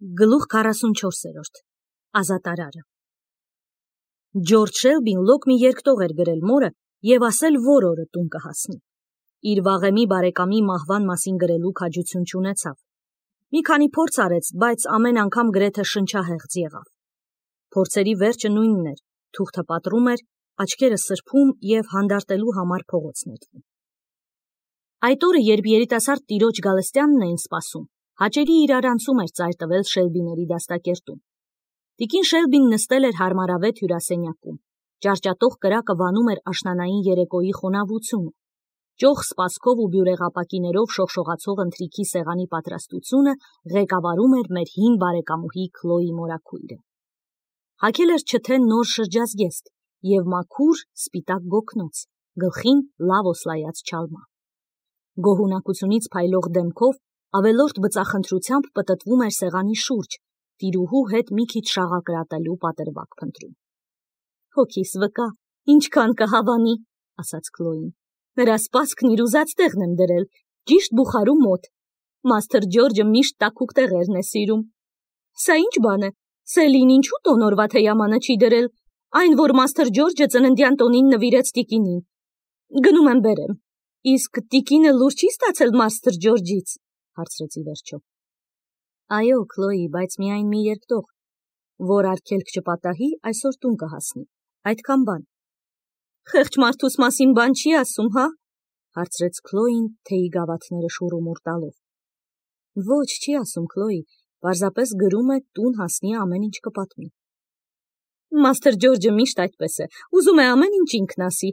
Գլուխ 44 Ազատարարը Ջորջ Շելբին լոկ մի երկտող էր գրել մորը և ասել, որ օրը տուն կհասնի։ Իր վաղեմի բարեկամի մահվան մասին գրելու քաջություն չունեցավ։ Մի քանի փորձ արեց, բայց ամեն անգամ գրեթե շնչահեղձ եղավ։ Փորձերի վերջը նույնն էր, թուղթը պատռում էր, աչքերը սրբում և հանդարտելու համար փողոց նետվում։ Այդ օրը, երբ երիտասարդ տիրոջ Գալստյանն էին սպասում, հաճելի իրարանցում էր ծայր տվել Շելբիների դաստակերտում։ Տիկին Շելբին նստել էր հարմարավետ հյուրասենյակում։ Ճարճատող կրակը վանում էր աշնանային երեկոյի խոնավությունը։ Ճոխ սպասքով ու բյուրեղապակիներով շողշողացող ընթրիքի սեղանի պատրաստությունը ղեկավարում էր մեր հին բարեկամուհի Քլոյի մորաքույրը։ Հագել էր չթե նոր շրջազգեստ և մաքուր սպիտակ գոգնոց, գլխին լավ օսլայած չալմա։ Գոհունակությունից փայլող դեմքով ավելորդ բծախնդրությամբ պտտվում էր սեղանի շուրջ, տիրուհու հետ մի քիչ շաղակրատելու պատրվակ փնտրում։ Հոգիս վկա, ինչքան կհավանի, ասաց Քլոյին։ Նրա սպասքն իր ուզած տեղն եմ դրել, ճիշտ բուխարու մոտ։ Մաստր Ջորջը միշտ տաքուկ տեղերն է սիրում։ Սա ինչ բան է, Սելին ինչու տոնորվա թեյամանը չի դրել, այն, որ մաստր Ջորջը ծննդյան տոնին նվիրեց տիկինին։ Գնում եմ բերեմ։ Իսկ տիկինը լուր չի ստացել մաստր Ջորջից, հարցրեց ի վերջո։ Այո, Քլոյի, բայց միայն մի երկտող, որ արգելք չպատահի, այսօր տուն կհասնի, այդքան բան։ Խեղճ մարդուս մասին բան չի ասում, հա, հարցրեց Քլոյին թեյի գավաթները շուռումուռ տալով։ Ոչ, չի ասում, Քլոյի, պարզապես գրում է տուն հասնի ամեն ինչ կպատմի։ Մաստր Ջորջը միշտ այդպես է, ուզում է ամեն ինչ ինքն ասի,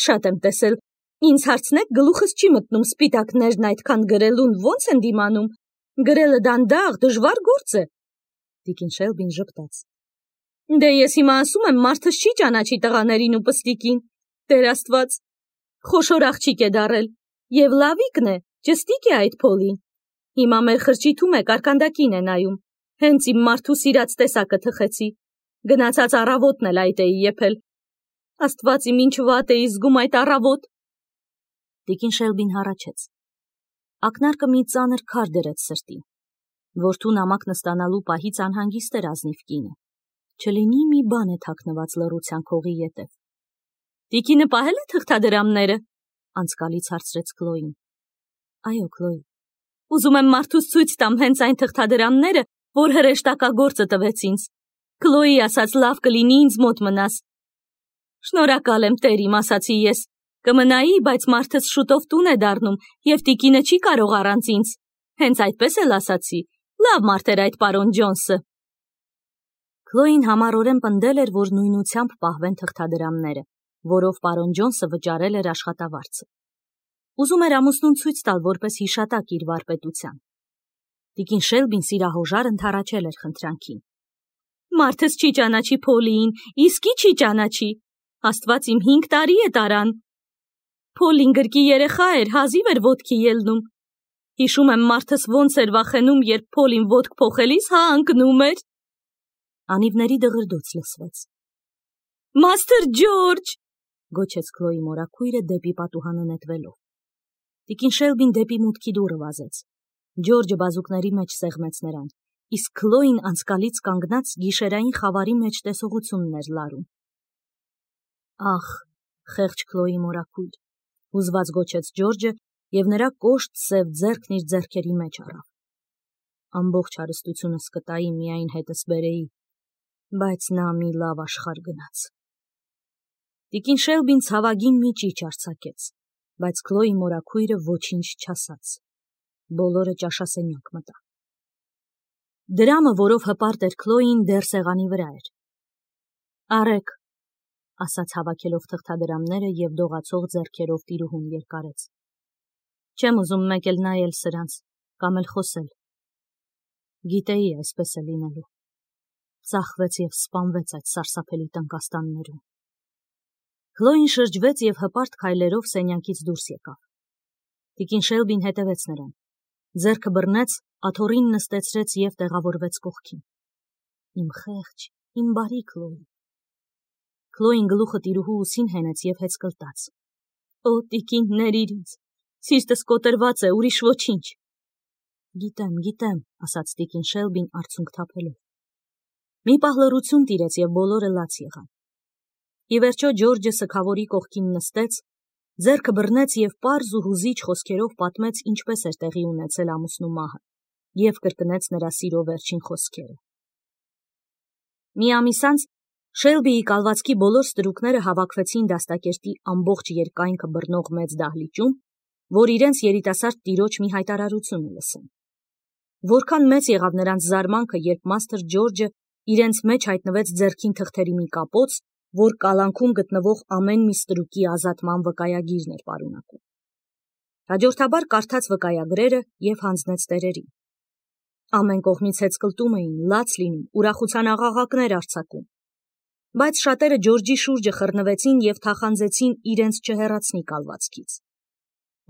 շատ եմ տեսել, ինձ հարցնեք, գլուխս չի մտնում սպիտակներն այդքան գրելուն ոնց են դիմանում, գրելը դանդաղ, դժվար գործ է։ Տիկին Շելբին ժպտաց։ Դե ես հիմա ասում եմ, մարդս չի ճանաչի տղաներին ու պստիկին, Տեր Աստված, խոշոր աղջիկ է դառել, և լավիկն է, ճստիկ է այդ փոլին։ Հիմա մեր խրճիթում է, կարկանդակին է նայում, հենց իմ մարդու սիրած տեսակը թխեցի, գնացած առավոտն էլ այդ էի եփել։ Աստված իմ ինչ վատ էի զգում այդ առավոտ։ Տիկին Շելբին հառաչեց։ Ակնարկը մի ծանր քար դրեց սրտին։ Որդու նամակ նստանալու պահից անհանգիստ էր ազնիվ կինը։ Չլինի մի բան է թաքնված լռության քողի ետև։ Տիկինը պահել է թղթադրամները, անցկալից հարցրեց Քլոյին։ Այո, Քլոյի։ Ուզում եմ մարդուց ցույց տամ հենց այն թղթադրամները, որ հրեշտակագործը տվեց ինձ։ Քլոյի ասաց լավ կլինի ինձ մոտ մնաս։ Շնորհակալ եմ, Տեր իմ, ասացի ես։ Կմնայի, բայց մարդս շուտով տուն է դառնում, և տիկինը չի կարող առանց ինձ։ Հենց այդպես էլ ասացի։ Լավ մարդ էր այդ պարոն Ջոնսը։ Քլոյին համառորեն պնդել էր, որ նույնությամբ պահվեն թղթադրամները, որով պարոն Ջոնսը վճարել էր աշխատավարձը։ Ուզում էր ամուսնուն ցույց տալ որպես հիշատակ իր վարպետության։ Տիկին Շելբին սիրահոժար ընդառաջել էր խնդրանքին։ Մարդս չի ճանաչի Փոլիին, իսկի չի ճանաչի։ Աստված իմ 5 տարի է տարան։ Փոլին գրկի երեխա էր, հազիվ էր ոտքի ելնում։ Հիշում եմ մարդս ոնց էր վախենում, երբ Փոլին ոտք փոխելիս հա ընկնում էր։ Անիվների դղրդոց լսվեց։ Մաստր Ջորջ, գոչեց Քլոյի մորաքույրը դեպի պատուհանը նետվելով։ Տիկին Շելբին դեպի մուտքի դուռը վազեց։ Ջորջը բազուկների մեջ սեղմեց նրան, իսկ Քլոյին անցկալից կանգնած գիշերային խավարի մեջ տեսողությունն էր լարում։ Ախ, խեղճ Քլոյի մորաքույր, հուզված գոչեց Ջորջը և նրա կոշտ սև ձեռքն իր ձեռքերի մեջ առավ։ Ամբողջ հարստությունս կտայի, միայն հետս բերեի, բայց նա մի լավ աշխարհ գնաց։ Տիկին Շելբին ցավագին մի ճիչ արձակեց, բայց Քլոյի մորաքույրը ոչինչ չասաց։ Բոլորը ճաշասենյակ մտան։ Դրամը, որով հպարտ էր Քլոյին, դեռ սեղանի վրա էր։ Արեք, ասաց հավաքելով թղթադրամները և դողացող ձեռքերով տիրուհուն երկարեց։ Չեմ ուզում մեկ էլ նայել սրանց, կամ էլ խոսել։ Գիտեի այսպես է լինելու։ Ծախվեց և սպանվեց այդ սարսափելի տնկաստաններում։ Քլոյին շրջվեց և հպարտ քայլերով սենյակից դուրս եկավ։ Տիկին Շելբին հետևեց նրան։ Ձեռքը բռնեց, աթոռին նստեցրեց և տեղավորվեց կողքին։ Իմ խեղճ, իմ բարի Քլոյի։ Քլոյին գլուխը տիրուհու ուսին հենեց և հեծկլտաց։ Օ, տիկին, ներ ինձ, սիրտս կոտրված է, ուրիշ ոչինչ։ Գիտեմ, ասաց տիկին Շելբին արցունք թափելով։ Մի պահ լռություն տիրեց և բոլորը լաց եղան։ Ի վերջո Ջորջը սգավորի կողքին նստեց, ձեռքը բռնեց և պարզ ու հուզիչ խոսքերով պատմեց, ինչպես էր տեղի ունեցել ամուսնու մահը, և կրկնեց նրա սիրո վերջին խոսքերը։ Մի ամիս անց Շելբիի կալվածքի բոլոր ստրուկները հավաքվեցին դաստակերտի ամբողջ երկայնքը բռնող մեծ դահլիճում, որ իրենց երիտասարդ տիրոջ մի հայտարարությունը լսեն։ Որքան մեծ եղավ նրանց զարմանքը, երբ մաստր Ջորջը իրենց մեջ հայտնվեց ձեռքին թղթերի մի կապոց, որ կալանքում գտնվող ամեն մի ստրուկի ազատման վկայագիրն էր պարունակում։ Հաջորդաբար կարդաց վկայագրերը և հանձնեց տերերին։ Ամեն կողմից հեծկլտում էին, լաց լինում, ուրախության աղաղակներ արձակում։ Բայց շատերը Ջորջի շուրջը խռնվեցին և թախանձեցին իրենց չհեռացնի կալվածքից։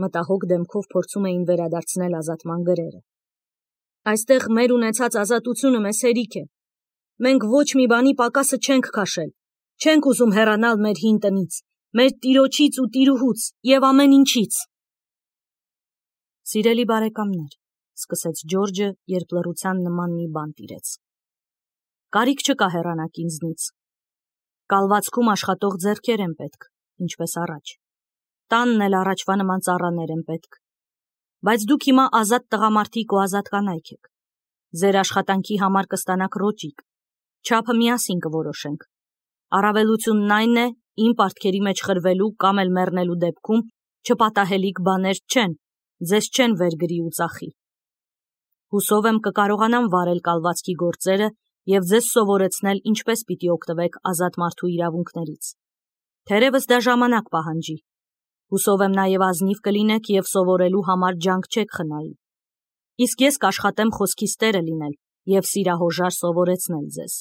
Մտահոգ դեմքով փորձում էին վերադարձնել ազատման գրերը։ Այստեղ մեր ունեցած ազատությունը մեզ հերիք է։ Մենք ոչ մի բանի պակասը չենք քաշել, չենք ուզում հեռանալ մեր հին տնից, մեր տիրոջից ու տիրուհուց և ամեն ինչից։ Սիրելի բարեկամներ, սկսեց Ջորջը, երբ լռության նման մի բան տիրեց։ Կարիք չկա հեռանաք ինձնից։ Կալվածքում աշխատող ձեռքեր են պետք, ինչպես առաջ։ Տանն էլ առաջվա նման ծառաներ են պետք։ Բայց դուք հիմա ազատ տղամարդիկ ու ազատ կանայք եք։ Ձեր աշխատանքի համար կստանաք ռոճիկ։ Չափը միասին կորոշենք։ Առավելությունն այն է, իմ պարտքերի մեջ խրվելու կամ էլ մեռնելու դեպքում չպատահելիք բաներ չեն, ձեզ չեն վերգրի ու ծախի։ Հուսով եմ կկարողանամ վարել կալվածքի գործերը և ձեզ սովորեցնել, ինչպես պիտի օգտվեք ազատ մարդու իրավունքներից։ Թերևս դա ժամանակ պահանջի։ Հուսով եմ նաև ազնիվ կլինեք և սովորելու համար ջանք չեք խնայի։ Իսկ ես կաշխատեմ խոսքիս տերը լինել և սիրահոժար սովորեցնել ձեզ։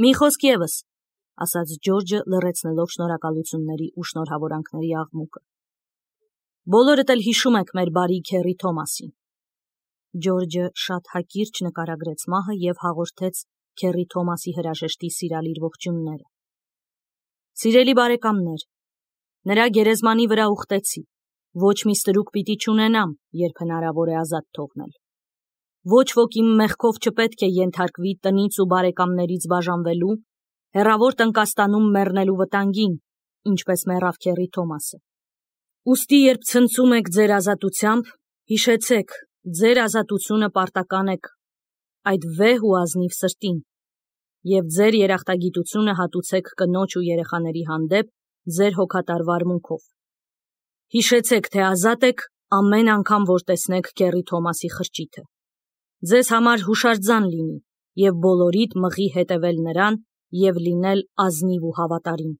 Մի խոսք ևս, ասաց Ջորջը, լռեցնելով շնորհակալությունների ու շնորհավորանքների աղմուկը։ Բոլորդ էլ հիշում եք մեր բարի քեռի Թոմասին։ Ջորջը շատ հակիրճ նկարագրեց մահը և հաղորդեց քեռի Թոմասի հրաժեշտի սիրալիր ողջույնները։ Սիրելի բարեկամներ, նրա գերեզմանի վրա ուխտեցի, ոչ մի ստրուկ պիտի չունենամ, երբ հնարավոր է ազատ թողնել։ Ոչ ոք իմ մեղքով չպետք է ենթարկվի տնից ու բարեկամներից բաժանվելու, հեռավոր Տնկաստանում մեռնելու վտանգին, ինչպես մեռավ քեռի Թոմասը։ Ուստի երբ ցնծում եք ձեր ազատությամբ, հիշեցեք, ձեր ազատությունը պարտական եք այդ վեհ ու ազնիվ սրտին, և ձեր երախտագիտությունը հատուցեք կնոջ ու երեխաների հանդեպ ձեր հոգատար վարմունքով։ Հիշեցեք, թե ազատ եք ամեն անգամ, որ տեսնեք քեռի Թոմասի խրճիթը։ Ձեզ համար հուշարձան լինի և բոլորիդ մղի հետևել նրան և լինել ազնիվ ու հավատարիմ։